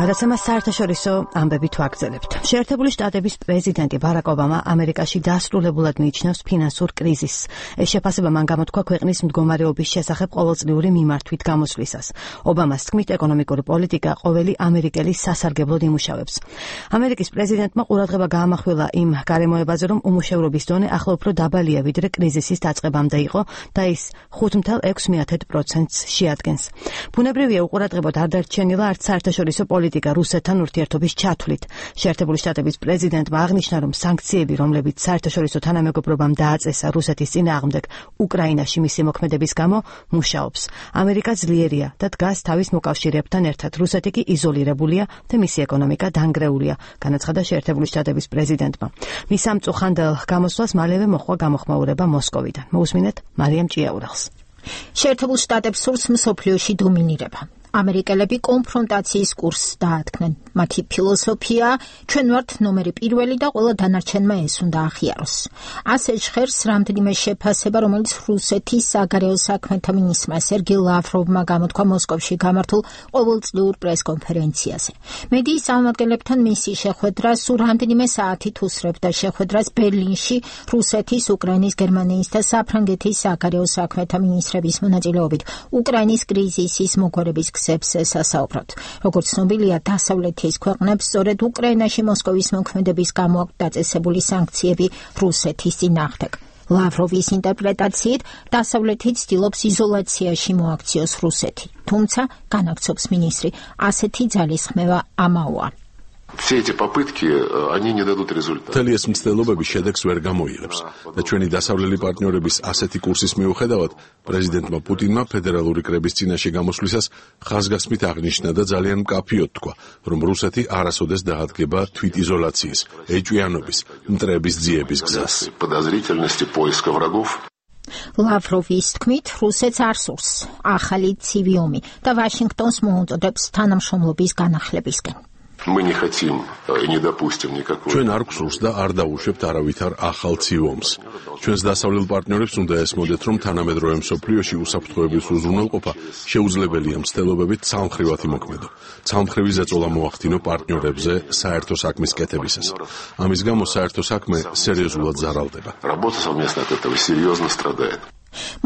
გადაცემა საერთაშორისო ამბები თვალგზელებთ. შეერთებული შტატების პრეზიდენტი ბარაკ ობამა ამერიკაში დასრულებულად მიიჩნევს ფინანსურ კრიზისს. ეს შეფასება მან გამოთქვა ქვეყნის მდგომარეობის შესახებ ყოველწლიური მიმართვით გამოსვლისას. ობამას თქმით, ეკონომიკური პოლიტიკა ყოველი ამერიკელის სასარგებლოდ იმუშავებს. ამერიკის პრეზიდენტმა ყურადღება გაამახვილა იმ გარემოებაზე, რომ უმუშევრობის დონე ახლა უფრო დაბალია, ვიდრე კრიზისის დაწყებამდე იყო და ის 5.6%-ს შეადგენს. ბუნებრივია უყურადღებოდ არ დარჩენილა არც საერთაშორისო პოლიტიკა რუსეთთან ურთიერთობის ჩათვლით. შეერთებული შტატების პრეზიდენტმა აღნიშნა, რომ სანქციები, რომლებიც საერთაშორისო თანამეგობრობამ დააწესა რუსეთის წინააღმდეგ უკრაინაში მისი მოქმედების გამო, მუშაობს. ამერიკა ძლიერია და დგას თავის მოკავშირეებთან ერთად. რუსეთი კი იზოლირებულია და მისი ეკონომიკა დანგრეულია, განაცხადა შეერთებული შტატების პრეზიდენტმა. მის ამ წუხანდელ გამოსვლას მალევე მოჰყვა გამოხმაურება მოსკოვიდან. მოусმინეთ მარიამ ჭიაურელს. შეერთებულ შტატებს სურს მსოფლიოში დომინირება. ამერიკელები კონფრონტაციის კურსს დაადგნენ. მათი ფილოსოფია ჩვენ ვართ ნომერი პირველი და ყველა დანარჩენმა ეს უნდა აღიაროს. ასე ჟღერს რამდენიმე შეფასება, რომელიც რუსეთის საგარეო საქმეთა მინისტრმა სერგეი ლავროვმა გამოთქვა მოსკოვში გამართულ ყოველწლიურ პრესკონფერენციაზე. მედიის წარმომადგენლებთან მისი შეხვედრა სულ რამდენიმე საათით უსწრებდა შეხვედრას ბერლინში რუსეთის, უკრაინის, გერმანიის და საფრანგეთის საგარეო საქმეთა მინისტრების მონაწილეობით უკრაინის კრიზისის მოგვარების სასაუბრად. როგორც ცნობილია, დასავლეთის ქვეყნებს სწორედ უკრაინაში მოსკოვის მოქმედების გამო აქვს დაწესებული სანქციები რუსეთის წინააღმდეგ. ლავროვის ინტერპრეტაციით, დასავლეთი ცდილობს იზოლაციაში მოაქციოს რუსეთი. თუმცა, განაგცობს მინისტრი, ასეთი ძალისხმევა ამაოა. Все эти попытки, они не дадут результата. Მთელი ეს მცდელობები შედეგს ვერ გამოიღებს და ჩვენი დასავლელი პარტნიორების ასეთი კურსის მიუხედავად, პრეზიდენტმა პუტინმა ფედერალური კრების წინაშე გამოსვლისას ხაზგასმით აღნიშნა და ძალიან მკაფიოდ თქვა, რომ რუსეთი არასოდეს დაადგება თვითიზოლაციის, ეჭვიანობის, მტრების ძიების გზას. Подозрительности поиска врагов. ლავროვის თქმით, რუსეთს არ სურს ახალი ცივი ომი და ვაშინგტონს მოუწოდებს თანამშრომლობის განახლებისკენ. Мы не хотим и не допустим никакого. ჩვენ არ გვსურს და არ დავუშვებთ არავითარ ახალ ცივ ომს. ჩვენს დასავლელ პარტნიორებს უნდა ესმოდეთ, რომ თანამედროვე მსოფლიოში უსაფრთხოების უზრუნველყოფა შეუძლებელია მცდელობებით ცალმხრივად იმოქმედო. ცალმხრივი ზეწოლა მოახდინო პარტნიორებზე საერთო საქმის კეთებისას. ამის გამო საერთო საქმე სერიოზულად ზარალდება. Работа совместно от этого серьезно страдает.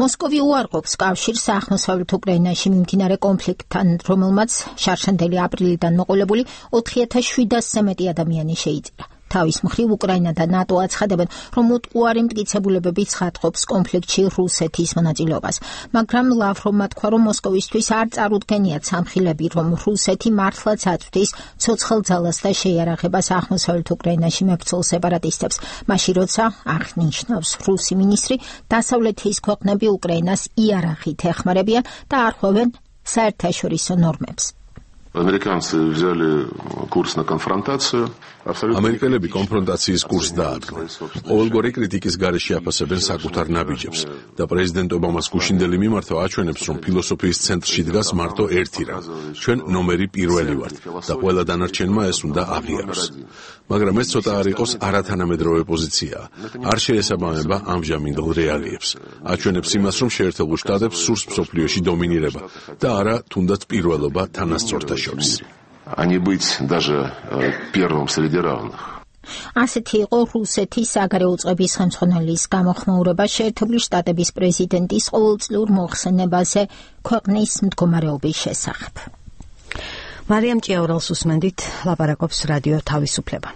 მოსკოვი უარყოფს კავშირს აღმოსავლეთ უკრაინაში მიმდინარე კონფლიქტთან, რომელმაც შარშანდელი აპრილიდან მოყოლებული 4700-ზე მეტი ადამიანი შეიწირა. თავის მხრივ უკრაინა და ნატო აცხადებენ, რომ უტყუარი მტკიცებულებები ცხადყოფს კონფლიქტში რუსეთის მონაწილეობას. მაგრამ ლავროვმა თქვა, რომ მოსკოვისთვის არ წარუდგენიათ სამხილები, რომ რუსეთი მართლაც აწვდის ცოცხალ ძალას და შეიარაღებას აღმოსავლეთ უკრაინაში მებრძოლ სეპარატისტებს. მაშინ როცა აღნიშნავს რუსი მინისტრი, დასავლეთის ქვეყნები უკრაინას იარაღით ეხმარებიან და არ ხვევენ საერთაშორისო ნორმებს. Американцы взяли курс на конфронтацию. ამერიკელები კონფრონტაციის კურსს დაადგნენ. ყოველგვარი კრიტიკის გარეშე აფასებენ საკუთარ ნაბიჯებს და პრეზიდენტ ობამას გუშინდელი მიმართვა აჩვენებს, რომ ფილოსოფიის ცენტრში დგას მარტო ერთი რამ. ჩვენ ნომერი პირველი ვართ და ყველა დანარჩენმა ეს უნდა აღიაროს. მაგრამ ეს ცოტა არ იყოს არათანამედროვე პოზიცია. არ შეესაბამება ამჟამინდელ რეალიებს. აჩვენებს იმას, რომ შეერთებულ შტატებს სურს მსოფლიოში დომინირება და არა თუნდაც პირველობა თანასწორთა შორის. А не быть даже первым среди равных. ასეთი იყო რუსეთის საგარეო უწყების ხელმძღვანელის გამოხმაურება შეერთებული შტატების პრეზიდენტის ყოველწლიურ მოხსენებაზე ქვეყნის მდგომარეობის შესახებ. მარიამ ჭიაურელს უსმენდით, ლაპარაკობს რადიო თავისუფლება.